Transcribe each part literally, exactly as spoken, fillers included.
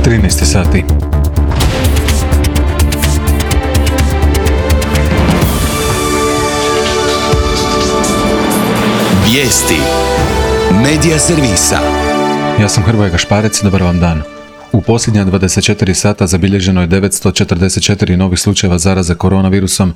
trinaest sati. Vijesti Medija servisa. Ja sam Hrvoje Gašparec, dobar vam dan. U posljednja dvadeset četiri sata zabilježeno je devetsto četrdeset četiri novih slučajeva zaraze koronavirusom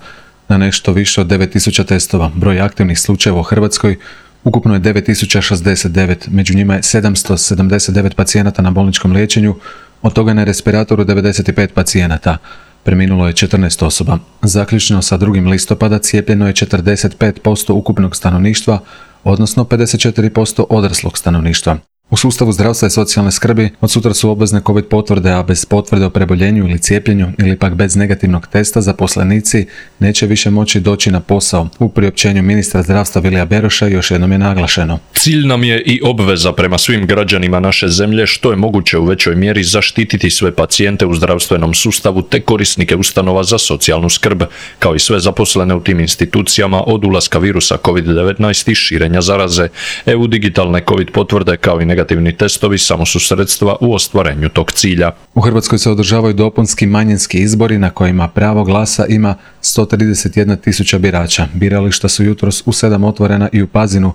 na nešto više od devet tisuća testova. Broj aktivnih slučajeva u Hrvatskoj ukupno je devet tisuća šezdeset devet, među njima je sedamsto sedamdeset devet pacijenata na bolničkom liječenju, od toga na respiratoru devedeset pet pacijenata. Preminulo je četrnaest osoba. Zaključno sa drugim listopada cijepljeno je četrdeset pet posto ukupnog stanovništva, odnosno pedeset četiri posto odraslog stanovništva. U sustavu zdravstva i socijalne skrbi od sutra su obvezne COVID potvrde, a bez potvrde o preboljenju ili cijepljenju ili pak bez negativnog testa zaposlenici neće više moći doći na posao. U priopćenju ministra zdravstva Vilija Beroša još jednom je naglašeno: Cilj nam je i obveza prema svim građanima naše zemlje što je moguće u većoj mjeri zaštititi sve pacijente u zdravstvenom sustavu te korisnike ustanova za socijalnu skrb, kao i sve zaposlene u tim institucijama od ulaska virusa kovid devetnaest i širenja zaraze. E U digitalne COVID potvrde kao i negativni testovi samo su sredstva u ostvarenju tog cilja. U Hrvatskoj se održavaju dopunski manjinski izbori na kojima pravo glasa ima sto trideset jedna tisuća birača. Birališta su jutros u sedam otvorena i u Pazinu,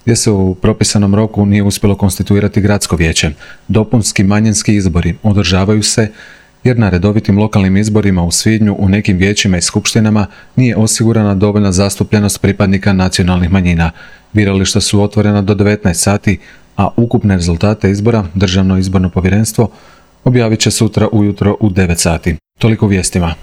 gdje se u propisanom roku nije uspjelo konstituirati gradsko vijeće. Dopunski manjinski izbori održavaju se jer na redovitim lokalnim izborima u svibnju u nekim vijećima i skupštinama nije osigurana dovoljna zastupljenost pripadnika nacionalnih manjina. Birališta su otvorena do devetnaest sati, a ukupne rezultate izbora Državno izborno povjerenstvo objavit će sutra ujutro u devet sati. Toliko u vijestima.